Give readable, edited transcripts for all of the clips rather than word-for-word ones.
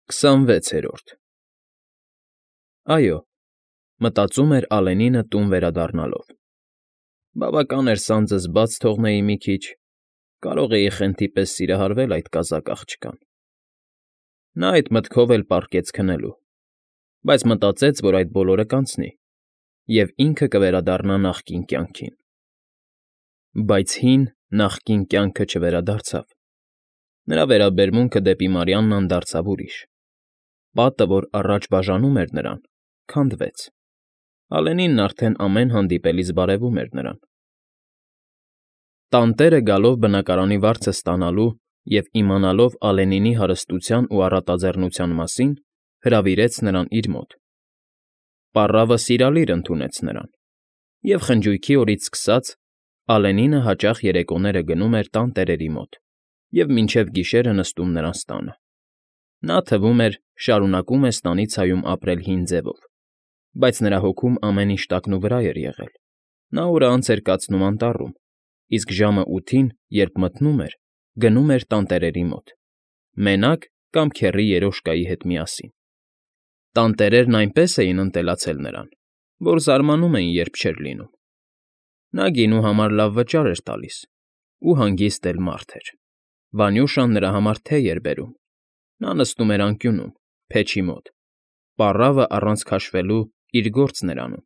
26-րդ Այո, մտածում էր Ալենինը տուն վերադառնալով. բավական էր սանձս բաց թողնեի մի քիչ, կարող էի խենթի պես սիրահարվել այդ կազակ աղջկան։ Նա այդ մտքով էլ պառկեց քնելու, բայց մտածեց, որ այդ բոլորը կանցնի, և ինքը կվերադառնա նախկին կյանքին։ Բայց հին նախկին կյանքը չվերադարձավ։ Նրա վերաբերմունքը դեպի Մարիաննան դարձավ ուրիշ։ Պատը, որ առաջ բաժանում էր նրան, քանդվեց։ Ալենինն արդեն ամեն հանդիպելիս բարևում էր նրան։ Տանտերը գալով բնակարանի վարձը ստանալու և իմանալով Ալենինի հարստության ու առատաձեռնության մասին, հրավիրեց նրան իր մոտ։ Պառավը սիրալիր ընդունեց նրան, և խնջույքի օրից սկսած Ալենինը հաճախ երեկոները գնում էր տանտերերի մոտ և մինչև գիշերը նստում նրանց տանը։ Նա, թվում էր, շարունակում է ստանիցայում ապրել հին ձևով, բայց նրա հոգում ամեն ինչ տակնուվրա էր եղել։ Նա օրը անց էր կացնում անտառում, իսկ ժամը 8-ին, երբ մթնում էր, գնում էր տանտերերի մոտ, մենակ կամ քեռի Երոշկայի հետ միասին։ Տանտերերն այնպես էին ընտելացել նրան, որ զարմանում էին, երբ չէր լինում։ Նա գինու համար լավ վճար էր տալիս ու հանգիստ էլ մարդ էր։ Վանյուշան նրա համար թեյ էր բերում։ Նա նստում էր անկյունում, փեչի մոտ, պառավը առանց քաշվելու իր գործն էր անում,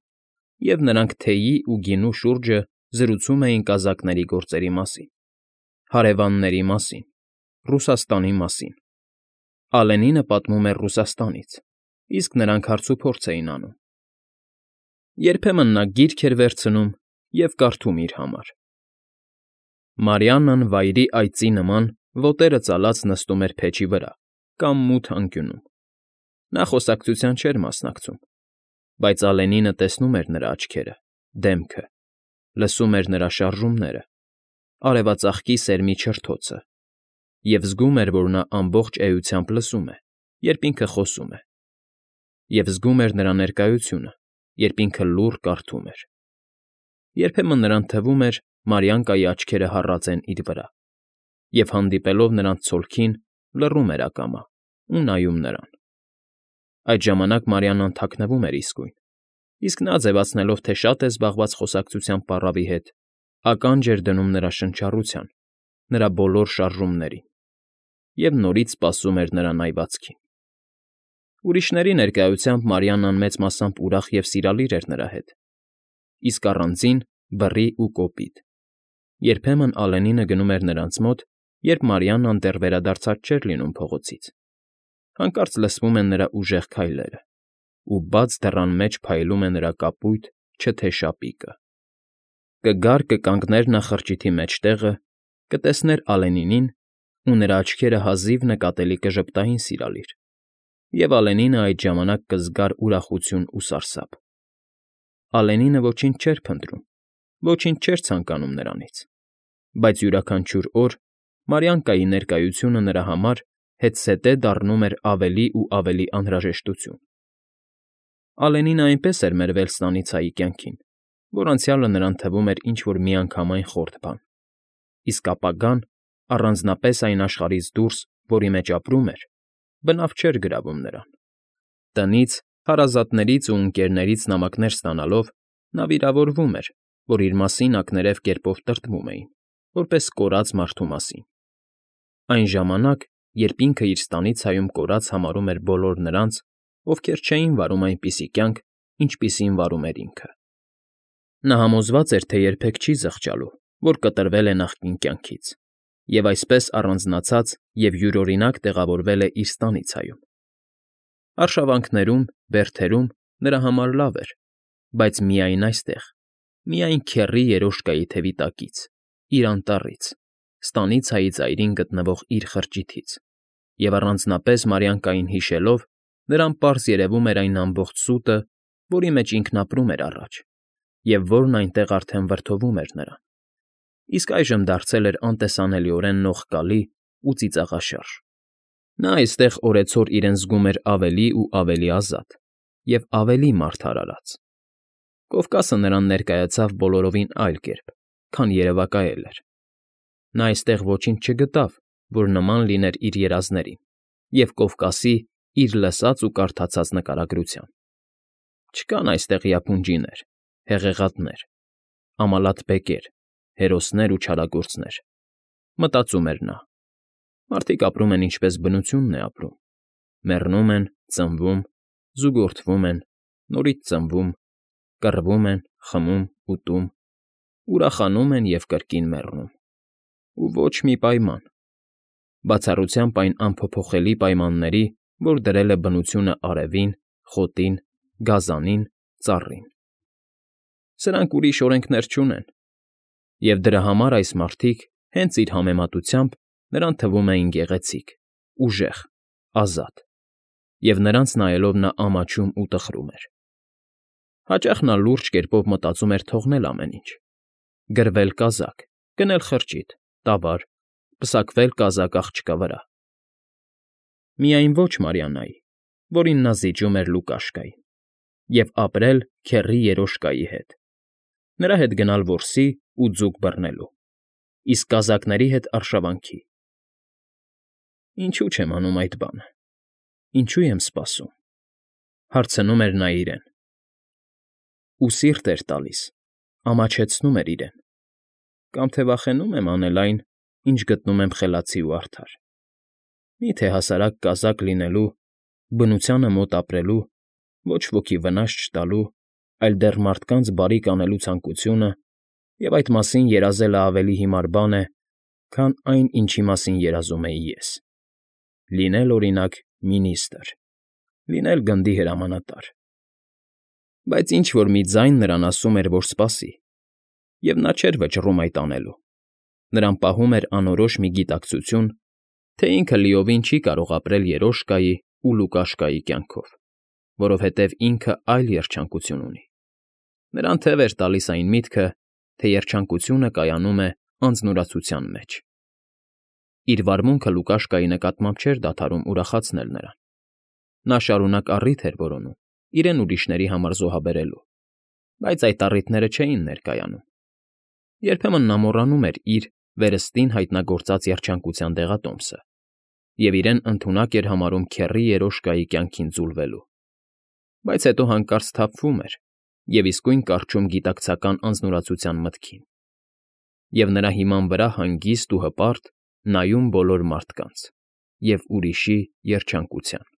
և նրանք թեյի ու գինու շուրջը զրուցում էին կազակների գործերի մասին, հարևանների մասին, Ռուսաստանի մասին։ Ալենինը պատմում էր Ռուսաստանից, իսկ նրանք հարցուփորձ էին անում։ Երբեմն նա գիրք էր վերցնում և կարդում իր համար։ Մարիաննան վայրի այծի նման ոտերը ծալած նստում էր փեչի վրա կամ մութ անկյունում։ Նա խոսակցության չէր մասնակցում, բայց Ալենինը տեսնում էր նրա աչքերը, դեմքը, լսում էր նրա շարժումները, արևածաղկի սերմի չրթոցը, և զգում էր, որ նա ամբողջ էությամբ լսում է, երբ ինքը խոսում է, և զգում էր նրա ներկայությունը, երբ ինքը լուռ կարդում էր։ Երբեմն նրան թվում էր Մարիանկայի աչքերը հառած են իր վրա, և հանդիպելով նրանց ցոլքին, լռում էր ակամա ու նայում նրան։ Այդ ժամանակ Մարիաննան թաքնվում էր իսկույն, իսկ նա, ձևացնելով, թե շատ է զբաղված խոսակցությամբ պառավի հետ, ականջ էր դնում նրա շնչառության, նրա բոլոր շարժումներին, և նորից սպասում էր նրա նայվածքին։ Ուրիշների ներկայությամբ Մարիաննան մեծ մասամբ ուրախ և սիրալիր էր նրա հետ, իսկ առանձին՝ բռի ու կոպիտ։ Երբեմն Ալենինը գնում էր նրանց մոտ, երբ Մարիաննան դեռ վերադարձած չէր լինում փողոցից։ Հանկարծ լսվում են նրա ուժեղ քայլերը, ու բաց դռան մեջ փայլում է նրա կապույտ, չթե շապիկը։ Կգար կկանգներ նախրջիթի մեջտեղը, կտեսներ Ալենինին, ու նրա աչքերը հազիվ նկատելի կժպտային սիրալիր, և Ալենինը այդ ժամանակ կզգար ուրախություն ու սարսափ։ Ալենինը ոչինչ չէր փնտրում, ոչինչ չէր ցանկանում նրանից, բայց յուրաքանչյուր օր Մարիանկայի ներկայությունը նրա համար հետզհետե դառնում էր ավելի ու ավելի անհրաժեշտություն։ Ալենինը այնպես էր մերվել ստանիցայի կյանքին, որ անցյալը նրան թվում էր ինչ֊որ միանգամայն խորթ բան, իսկ ապագան, առանձնապես այն աշխարհից դուրս, որի մեջ ապրում էր, բնավ չէր գրավում նրան։ Տնից, հարազատներից ու ընկերներից նամակներ ստանալով, նա վիրավորվում էր, որ իր մասին ակներև կերպով տրտմում էին, որպես կորած մարդու մասին։ Այն ժամանակ, երբ ինքը իր ստանիցայում կորած համարում էր բոլոր նրանց, ովքեր չէին վարում այնպիսի կյանք, ինչպիսին վարում էր ինքը։ Նա համոզված էր, թե երբեք չի զղջալու, որ կտրվել է նախկին կյանքից, և այսպես առանձնացած և յուրօրինակ տեղավորվել է իր ստանիցայում։ Արշավանքներում, բերդերում նրա համար լավ էր, բայց միայն այստեղ, միայն քեռի Երոշկայի թևի տակից, իր անտառից, ստանիցայի ծայրին գտնվող իր խրճիթից, և առանձնապես Մարիանկային հիշելով, նրան պարզ երևում էր այն ամբողջ սուտը, որի մեջ ինքն ապրում էր առաջ, և որն այնտեղ արդեն վրդովում էր նրան, իսկ այժմ դարձել էր անտեսանելիորեն նողկալի ու ծիծաղաշարժ։ Նա այստեղ օրեցօր իրեն զգում էր ավելի ու ավելի ազատ և ավելի մարդարարած։ Կովկասը նրան ներկայացավ բոլորովին այլ կերպ, քան երևակայել էր։ Նա այստեղ ոչինչ չգտավ, որ նման լիներ իր երազներին, և Կովկասի իր լսած ու կարդացած նկարագրությամբ։ Չկան այստեղ յափունջիներ, հեղեղատներ, ամալաթ֊բեկեր, հերոսներ ու չարագործներ, մտածում էր նա։ Մարդիկ ապրում են ինչպես բնությունն է ապրում. մեռնում են, ծնվում, զուգորդվում են, նորից ծնվում, կռվում են, խմում, ուտում, ուրախանում են և կրկին մեռնում։ Ու ոչ մի պայման, բացառությամբ այն անփոփոխելի պայմանների, որ դրել է բնությունը արևին, խոտին, գազանին, ծառին։ Սրանք ուրիշ օրենքներ չունեն, և դրա համար այս մարդիկ, հենց իր համեմատությամբ, նրան թվում էին գեղեցիկ, ուժեղ, ազատ, և նրանց նայելով նա ամաչում ու տխրում էր։ Հաճախ նա լուրջ կերպով մտածում էր թողնել ամեն ինչ. գրվել կազակ, գնել խրճիթ, տավար, պսակվել կազակ աղջկա վրա։ Միայն ոչ Մարիաննայի, որին նա զիջում էր Լուկաշկային, և ապրել քեռի երոշկայի հետ, նրա հետ գնալ որսի ու ձուկ բռնելու, իսկ կազակների հետ արշավանքի։ Ինչո՞ւ չեմ անում այդ բանը, ինչո՞ւ եմ սպասում, հարցնում էր նա իրեն։ Ու սիրտ էր տալիս, ամաչեցնում էր իրեն, կամ թե վախենում եմ անել այն, ինչ գտնում եմ խելացի ու արդար։ Մի՞թե հասարակ կազակ լինելու, բնությանը մոտ ապրելու, ոչ ոքի վնաս չտալու, այլ դեռ մարդկանց բարիք անելու ցանկությունը և այդ մասին երազելը ավելի հիմար բան է, քան այն, ինչի մասին երազում էի ես. լինել, օրինակ, մինիստրը, լինել գնդի հրամանատար։ Բայց ինչ֊որ մի ձայն նրան ասում էր, որ սպասի, և նա չէր վճռում այդ անելու, նրան պահում էր անորոշ մի գիտակցություն, թե ինքը լիովին չի կարող ապրել երոշկայի ու Լուկաշկայի կյանքով, որովհետև ինքը այլ երջանկություն ունի։ Նրան թև էր տալիս այն միտքը, թե երջանկությունը կայանում է անձնուրացության մեջ։ Իր վարմունքը Լուկաշկայի նկատմամբ չէր դադարում ուրախացնել նրան։ Նա շարունակ առիթ էր որոնում, իրեն ուրիշների համար զոհաբերելու, բայց այդ առիթները չէին ներկայանում։ Երբեմն նա մոռանում էր իր վերստին հայտնագործած երջանկության դեղատոմսը և իրեն ընդունակ էր համարում քեռի երոշկայի կյանքին ձուլվելու, բայց հետո հանկարծ սթափվում էր և իսկույն կառչում գիտակցական անձնուրացության մտքին, և նրա հիման վրա հանգիստ ու հպարտ նայում բոլոր մարդկանց և ուրիշի երջանկության։